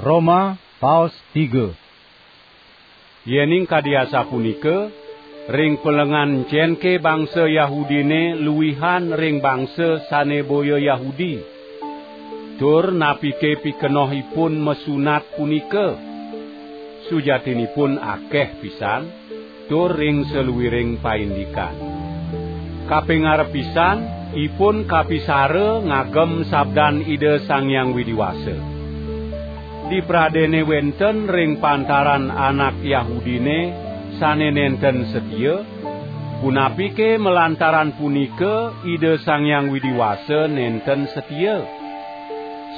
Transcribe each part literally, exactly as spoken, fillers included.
Roma, paos tiga. Yening kadi asapunika, ring pelengan encenke bangsa Yahudine luihan ring bangsa sane boya Yahudi? Tur napike pikenohipun masunat punika? Sujatinipun akeh pisan, tur ring saluiring paindikan. Kaping arep pisan, ipun kapisara ngagem sabdan Ida Sang Hyang Widi Wasa. Dipradene wenten ring pantaran anak Yahudine sane nenten setia, punapike malantaran punika Ida Sang Hyang Widi Wasa nenten setia?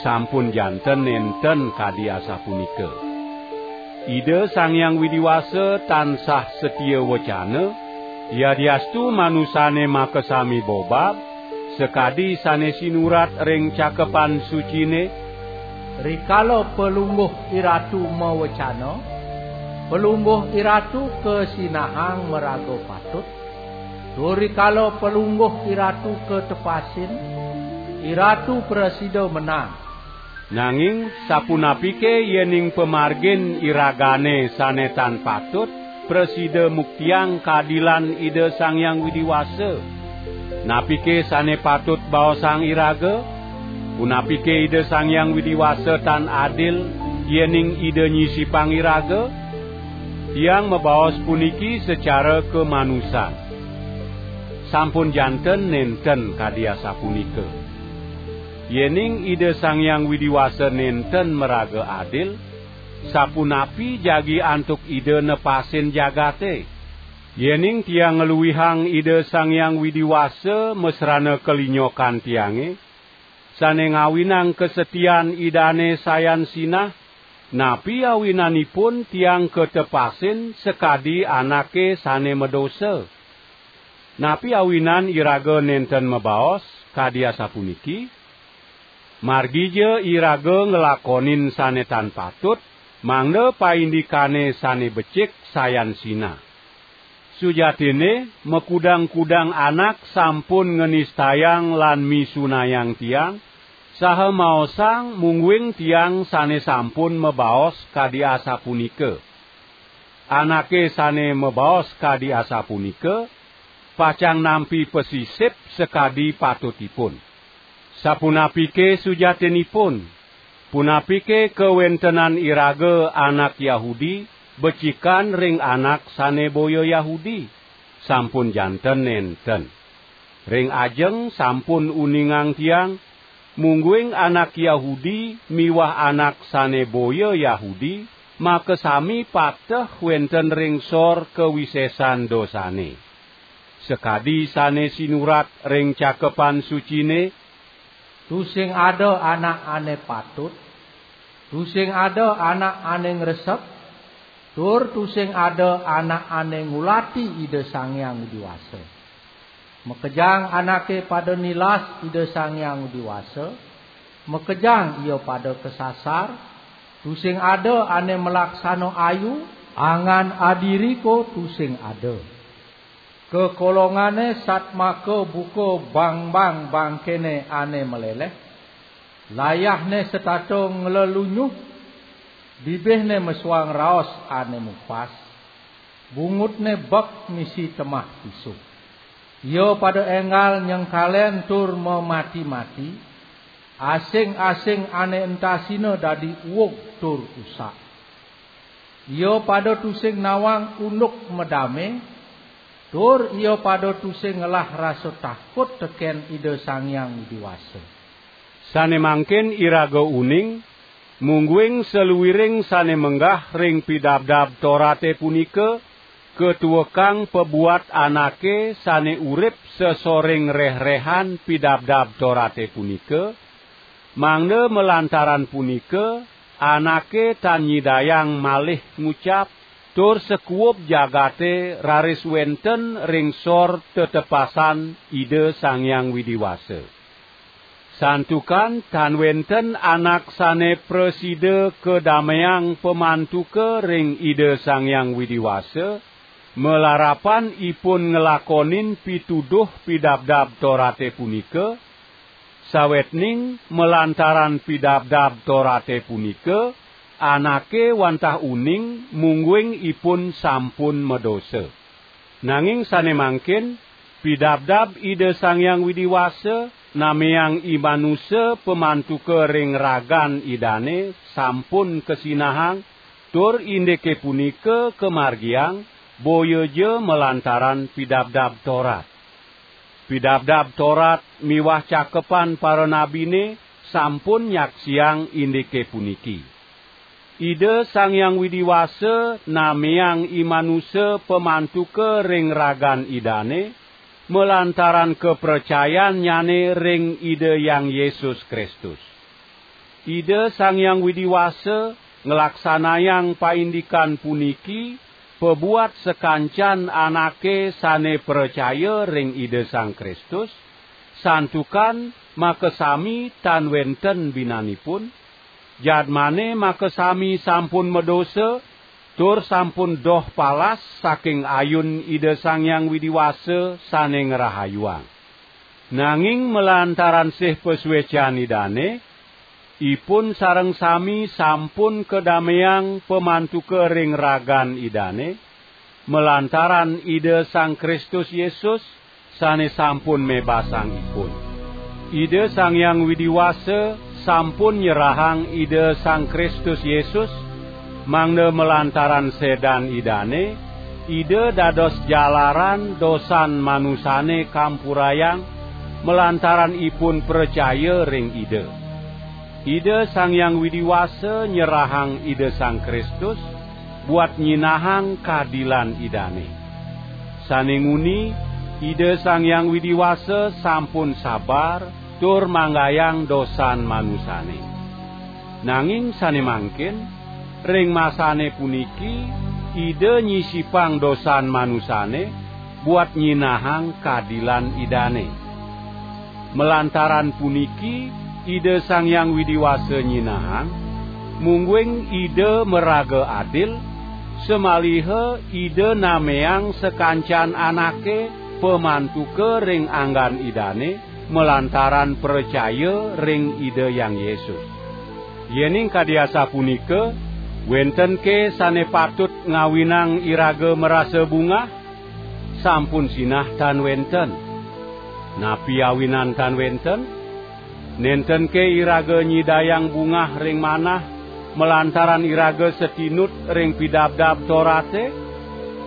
Sampun janten nenten kadi asapunika. Ida Sang Hyang Widi Wasa tansah setia wecana, yadiastu manusane makasami bobab, sakadi sane sinurat ring Cakepan Sucine, "Rikala Palungguh IRatu mawecana, Palungguh IRatu kasinahang maraga patut, tur rikala Palungguh IRatu katepasin, IRatu prasida menang." Nanging sapunapike yening pamargin iragane sane tan patut prasida muktiang kaadilan Ida Sang Hyang Widi Wasa? Napike sane patut baosang iraga? Punapike Ida Sang Hyang Widi Wasa tan adil yening Ida nyisipang iraga? Tiang mabaos puniki sacara kamanusan. Sampun janten nenten kadi asapunika. Yening Ida Sang Hyang Widi Wasa nenten maraga adil, sapunapi jagi antuk Ida nepasin jagate? Yening tiang ngluihang Ida Sang Hyang Widi Wasa masrana kalinyokan tiange, sane ngawinang kasetian Idane sayan sinah, napi awinanipun tiang katepasin sakadi anake sane madosa? Napi awinan iraga nenten mabaos kadi asapuniki? Margija iraga nglakonin sane tan patut, mangda paindikane sane becik sayan sinah. Sujatine, makudang-kudang anak sampun nganistayang lan misunayang tiang, saha maosang mungguing tiang sane sampun mabaos kadi asapunika. Anake sane mabaos kadi asapunika, pacang nampi pasisip sakadi patutipun. Sapunapike sujatinipun? Punapike kawentenan iraga anak Yahudi becikan ring anak sane boya Yahudi? Sampun janten nenten. Ring ajeng sampun uningang tiang, mungguing anak Yahudi miwah anak sane boya Yahudi makasami pateh wenten ring sor kawisesan dosane. Sakadi sane sinurat ring Cakepan Sucine, "Tusing ada anak ane patut, tusing ada anak ane ngresep, tur tusing ada anak ane ngulati Ida Sang Hyang Widi Wasa." Makejang anake pada nilas Ida Sang Hyang Widi Wasa, makejang ia pada kasasar, tusing ada ane malaksana ayu, angan adiriko tusing ada. Kakolongane satmaka buka bangbang bangkene ane maleleh, layahne setata nglelunyuh, bibihne mesuang raos ane mupas, bungutne bek misi temah pisuh. Ia pada enggal nyengkalen tur mamati-mati, asing-asing ane entasina dadi uug tur usak. Ia pada tusing nawang unduk madame, tur ia pada tusing ngelah rasa takut teken Ida Sang Hyang Widi Wasa. Sane mangkin iraga uning, mungguing saluiring sane menggah ring Pidabdab Torate punika katuekang pabuat anake sane urip sasoring reh-rehan Pidabdab Torate punika, mangda malantaran punika anake tan nyidayang malih ngucap, tur sakuub jagate raris wenten ring sor tetepasan Ida Sang Hyang Widi Wasa. Santukan tan wenten anak sane prasida kadameang pamantuka ring Ida Sang Hyang Widi Wasa, malarapan ipun nglakonin pituduh Pidabdab Torate punika, sawetning malantaran Pidabdab Torate punika, anake wantah uning mungguing ipun sampun madosa. Nanging sane mangkin, pidabdab Ida Sang Hyang Widi Wasa nameang i manusa pamantuka ring ragan Idane sampun kasinahang, tur indike punika kamargiang boyaja malantaran Pidabdab Torat. Pidabdab Torat miwah cakepan paranabine sampun nyaksiang indike puniki. Ida Sang Hyang Widi Wasa nameang i manusa pamantuka ring ragan Idane, malantaran kapracayannyane ring Ida Hyang Yesus Kristus. Ida Sang Hyang Widi Wasa nglaksanayang paindikan puniki pabuat sakancan anake sane pracaya ring Ida Sang Kristus, santukan makasami tan wenten binanipun, jadmane makasami sampun madosa, tur sampun doh palas saking ayun Ida Sang Hyang Widi Wasa sane ngrahayuang. Nanging malantaran sih pasuecan Idane, ipun sareng sami sampun kadameang pamantuka ring ragan Idane, malantaran Ida Sang Kristus Yesus sane sampun mebasang ipun. Ida Sang Hyang Widi Wasa sampun nyerahang Ida Sang Kristus Yesus, mangda malantaran sedan Idane, Ida dados jalaran dosan manusane kampurayang, malantaran ipun pracaya ring Ida. Ida Sang Hyang Widi Wasa nyerahang Ida Sang Kristus buat nyinahang kadilan Idane. Sane nguni, Ida Sang Hyang Widi Wasa sampun sabar tur manggayang dosan manusane. Nanging sane mangkin, ring masane puniki Ida nyisipang dosan manusane buat nyinahang kadilan Idane. Malantaran puniki Ida Sang Hyang Widi Wasa nyinahang, mungguing Ida maraga adil, samaliha Ida nameang sakancan anake pamantuka ring anggan Idane malantaran pracaya ring Ida Hyang Yesus. Yening kadi asapunika, wentenke sane patut ngawinang iraga marasa bungah? Sampun sinah tan wenten. Napi awinan tan wenten? Nentenke iraga nyidayang bungah ring manah malantaran iraga satinut ring Pidabdab Torate?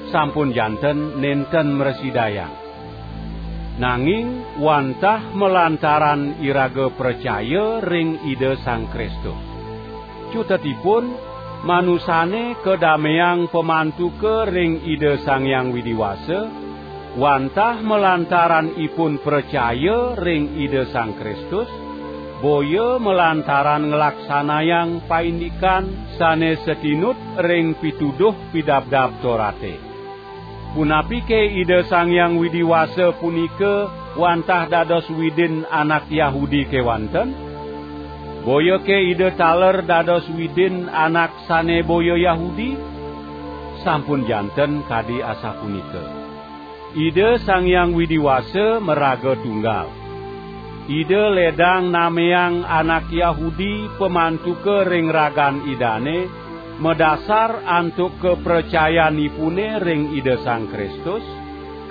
Sampun janten nenten mrasidayang. Nanging wantah malantaran iraga pracaya ring Ida Sang Kristus. Cutetipun, manusane kadameang pamantuka ring Ida Sang Hyang Widi Wasa, wantah malantaran ipun pracaya ring Ida Sang Kristus, boya malantaran nglaksanayang paindikan sane satinut ring pituduh Pidabdab Torate. Punapike Ida Sang Hyang Widi Wasa punika wantah dados Widin anak Yahudi kewanten? Boyake Ida taler dados Widin anak sane boya Yahudi? Sampun janten kadi asapunika. Ida Sang Hyang Widi Wasa maraga tunggal. Ida ledang nameang anak Yahudi pamantuka ring ragan Idane, madasar antuk kapracayanipune ring Ida Sang Kristus,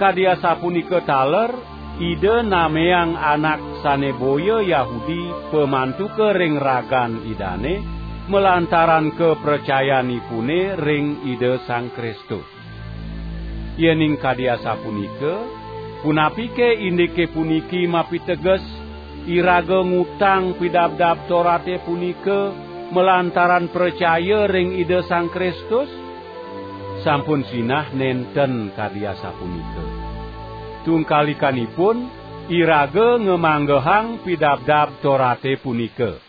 kadi asapunika taler Ida nameang anak sane boya Yahudi pamantuka ring ragan Idane, malantaran kapracayanipune ring Ida Sang Kristus. Yening kadi asapunika, punapike indike puniki mapiteges, iraga ngutang Pidabdab Torate punika malantaran pracaya ring Ida Sang Kristus? Sampun sinah nenten kadi asapunika. Tungkalikanipun, iraga ngamanggehang Pidabdab Torate punika.